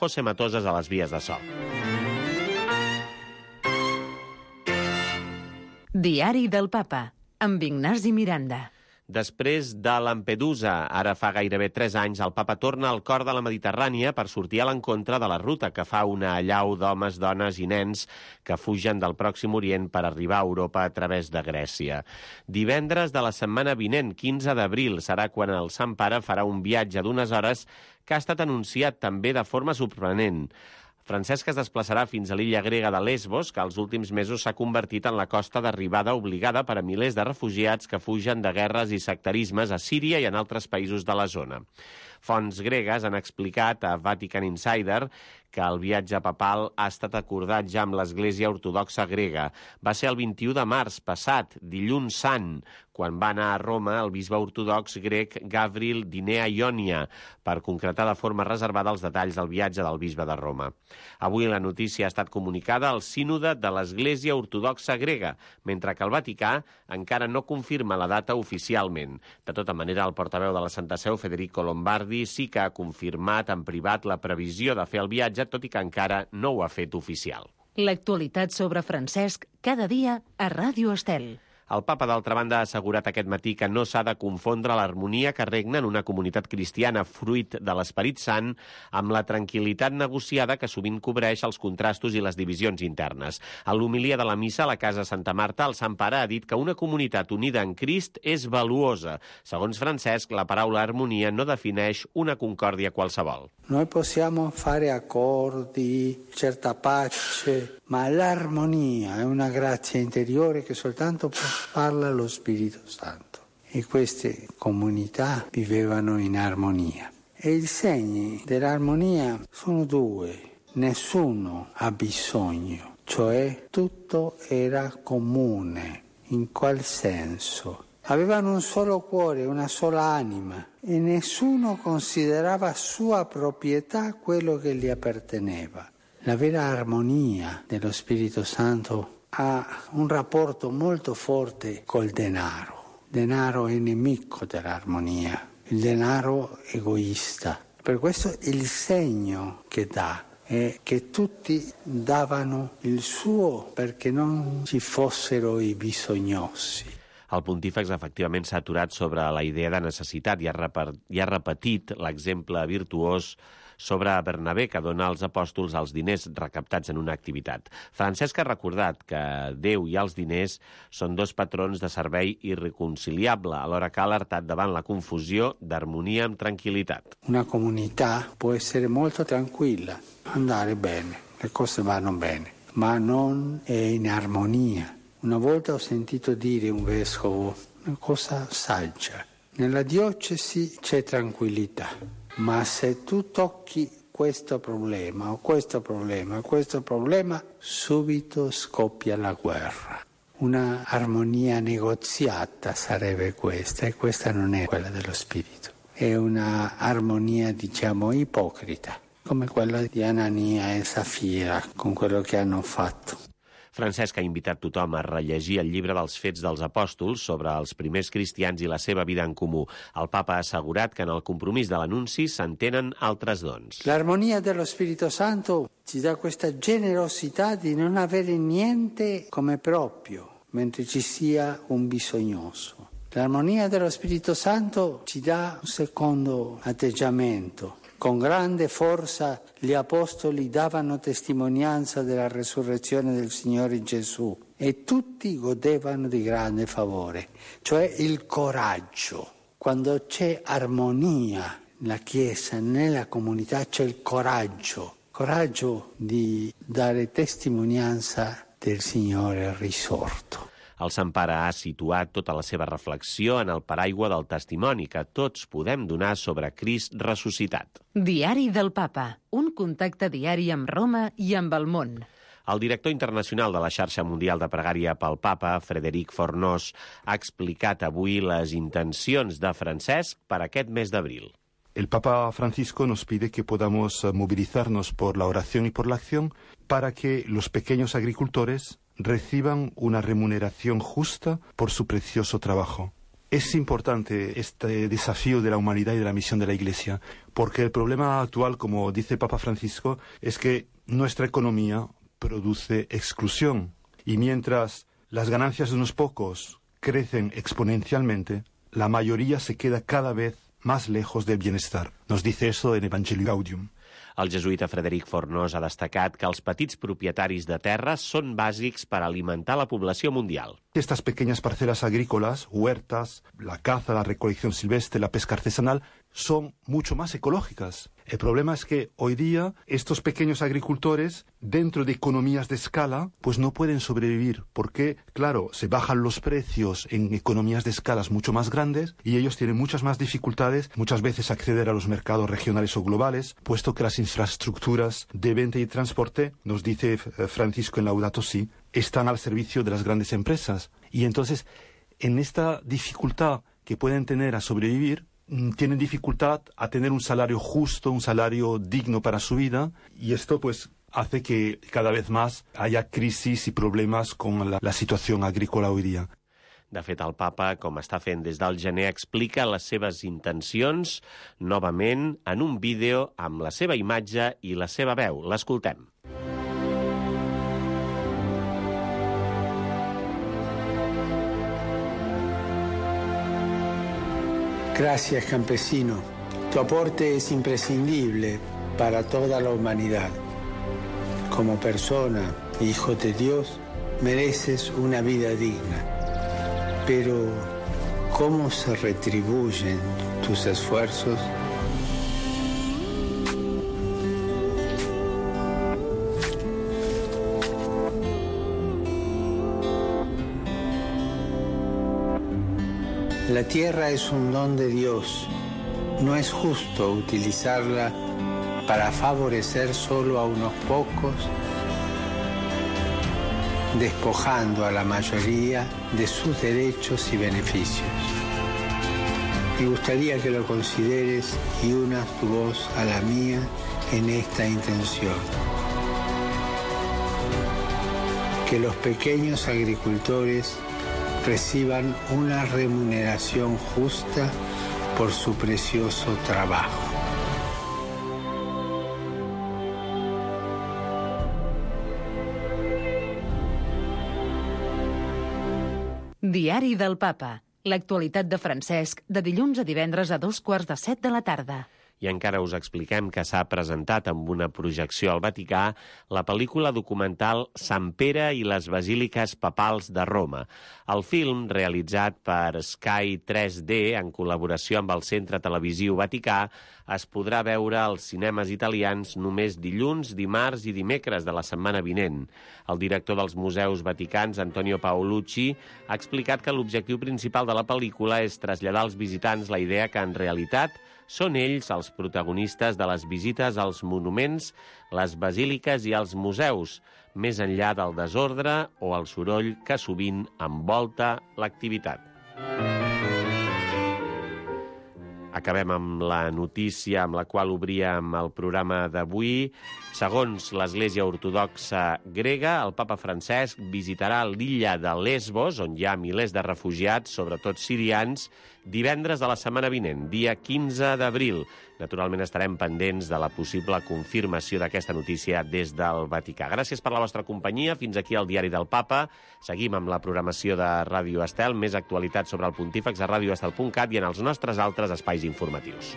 José Matosas a les vies de so. Diari del Papa, amb Ignasi Miranda. Després de Lampedusa, ara fa gairebé 3 anys, el papa torna al cor de la Mediterrània per sortir a l'encontre de la ruta que fa una allau d'homes, dones i nens que fugen del Pròxim Orient per arribar a Europa a través de Grècia. Divendres de la setmana vinent, 15 d'abril, serà quan el Sant Pare farà un viatge d'1 hores que ha estat anunciat també de forma sorprenent. Francesc es desplaçarà fins a l'illa grega de Lesbos, que als últims mesos s'ha convertit en la costa d'arribada obligada per a milers de refugiats que fugen de guerres i sectarismes a Síria i en altres països de la zona. Fonts gregues han explicat a Vatican Insider que el viatge papal ha estat acordat ja amb l'Església Ortodoxa grega. Va ser el 21 de març passat, dilluns sant, quan va anar a Roma el bisbe ortodox grec Gavril Dinea Ionia per concretar de forma reservada els detalls del viatge del bisbe de Roma. Avui la notícia ha estat comunicada al sínode de l'Església Ortodoxa grega, mentre que el Vaticà encara no confirma la data oficialment. De tota manera, el portaveu de la Santa Seu, Federico Lombardi, sí que ha confirmat en privat la previsió de fer el viatge, tot i que encara no ho ha fet oficial. L'actualitat sobre Francesc cada dia a Ràdio Estel. El papa, d'altra banda, ha assegurat aquest matí que no s'ha de confondre l'harmonia que regna en una comunitat cristiana fruit de l'Esperit Sant amb la tranquil·litat negociada que sovint cobreix els contrastos i les divisions internes. A l'homilia de la missa a la Casa Santa Marta, el Sant Pare ha dit que una comunitat unida en Crist és valuosa. Segons Francesc, la paraula harmonia no defineix una concòrdia qualsevol. Noi possiamo fare accordi, certa pace, ma l'armonia è una grazia interiore che soltanto può farla lo Spirito Santo. E queste comunità vivevano in armonia. E i segni dell'armonia sono 2. Nessuno ha bisogno, cioè tutto era comune. In qual senso? Avevano un solo cuore, una sola anima e nessuno considerava sua proprietà quello che gli apparteneva. La vera armonia dello Spirito Santo ha un rapporto molto forte col denaro. Il denaro è nemico dell'armonia, il denaro egoista. Per questo il segno che dà è che tutti davano il suo perché non ci fossero i bisognosi. El pontífex efectivament s'ha aturat sobre la idea de necessitat i ha repetit l'exemple virtuós sobre Bernabé, que dona als apòstols els diners recaptats en una activitat. Francesc ha recordat que Déu i els diners són 2 patrons de servei irreconciliable, alhora que ha alertat davant la confusió d'harmonia amb tranquil·litat. Una comunità può essere molto tranquilla, andare bene, le cose vanno bene, ma non è in armonia. Una volta ho sentito dire un vescovo una cosa saggia. Nella diocesi c'è tranquillità, ma se tu tocchi questo problema o questo problema o questo problema, subito scoppia la guerra. Una armonia negoziata sarebbe questa, e questa non è quella dello spirito. È una armonia, diciamo, ipocrita, come quella di Anania e Safira con quello che hanno fatto. Francesc ha invitat tothom a rellegir el llibre dels Fets dels Apòstols sobre els primers cristians i la seva vida en comú. El papa ha assegurat que en el compromís de l'anunci s'entenen altres dons. L'armonia dello Spirito Santo ci dà questa generosità di non avere niente come proprio, mentre ci sia un bisognoso. L'armonia dello Spirito Santo ci dà un secondo atteggiamento. Con grande forza gli apostoli davano testimonianza della resurrezione del Signore Gesù e tutti godevano di grande favore, cioè il coraggio. Quando c'è armonia nella Chiesa, nella comunità, c'è il coraggio di dare testimonianza del Signore risorto. El Sant Pare ha situat tota la seva reflexió en el paraigua del testimoni que tots podem donar sobre Crist ressuscitat. Diari del Papa, un contacte diari amb Roma i amb el món. El director internacional de la xarxa mundial de pregària pel Papa, Frederic Fornós, ha explicat avui les intencions de Francesc per aquest mes d'abril. El Papa Francisco nos pide que podamos movilizarnos por la oración y por la acción para que los pequeños agricultores reciban una remuneración justa por su precioso trabajo. Es importante este desafío de la humanidad y de la misión de la Iglesia, porque el problema actual, como dice el Papa Francisco, es que nuestra economía produce exclusión, y mientras las ganancias de unos pocos crecen exponencialmente, la mayoría se queda cada vez más lejos del bienestar. Nos dice eso en Evangelii Gaudium. El jesuïta Frederic Fornós ha destacat que els petits propietaris de terres són bàsics per alimentar la població mundial. Estas pequeñas parcelas agrícolas, huertas, la caza, la recolección silvestre, la pesca artesanal, son mucho más ecológicas. El problema es que hoy día estos pequeños agricultores, dentro de economías de escala, pues no pueden sobrevivir, porque, claro, se bajan los precios en economías de escalas mucho más grandes y ellos tienen muchas más dificultades, muchas veces acceder a los mercados regionales o globales, puesto que las infraestructuras de venta y transporte, nos dice Francisco en Laudato Si, están al servicio de las grandes empresas. Y entonces, en esta dificultad que pueden tener a sobrevivir, tienen dificultad a tener un salario justo, un salario digno para su vida, y esto pues hace que cada vez más haya crisis y problemas con la situación agrícola hoy día. De fet, el papa, com està fent des del gener, explica les seves intencions novament en un vídeo amb la seva imatge i la seva veu. L'escoltem. Gracias, campesino. Tu aporte es imprescindible para toda la humanidad. Como persona, hijo de Dios, mereces una vida digna. Pero, ¿cómo se retribuyen tus esfuerzos? La tierra es un don de Dios. No es justo utilizarla para favorecer solo a unos pocos, despojando a la mayoría de sus derechos y beneficios. Me gustaría que lo consideres y unas tu voz a la mía en esta intención. Que los pequeños agricultores reciban una remuneración justa por su precioso trabajo. Diari del Papa. L'actualitat de Francesc, de dilluns a divendres a 7:15 de la tarda. I encara us expliquem que s'ha presentat amb una projecció al Vaticà la pel·lícula documental Sant Pere i les Basíliques Papals de Roma. El film, realitzat per Sky 3D en col·laboració amb el Centre Televisiu Vaticà, es podrà veure als cinemes italians només dilluns, dimarts i dimecres de la setmana vinent. El director dels Museus Vaticans, Antonio Paolucci, ha explicat que l'objectiu principal de la pel·lícula és traslladar als visitants la idea que, en realitat, són ells els protagonistes de les visites als monuments, les basíliques i als museus, més enllà del desordre o el soroll que sovint envolta l'activitat. Acabem amb la notícia amb la qual obríem el programa d'avui. Segons l'Església Ortodoxa grega, el papa Francesc visitarà l'illa de Lesbos, on hi ha milers de refugiats, sobretot sirians, divendres de la setmana vinent, dia 15 d'abril. Naturalment estarem pendents de la possible confirmació d'aquesta notícia des del Vaticà. Gràcies per la vostra companyia. Fins aquí el Diari del Papa. Seguim amb la programació de Ràdio Estel. Més actualitat sobre el Pontífex a radioestel.cat i en els nostres altres espais informatius.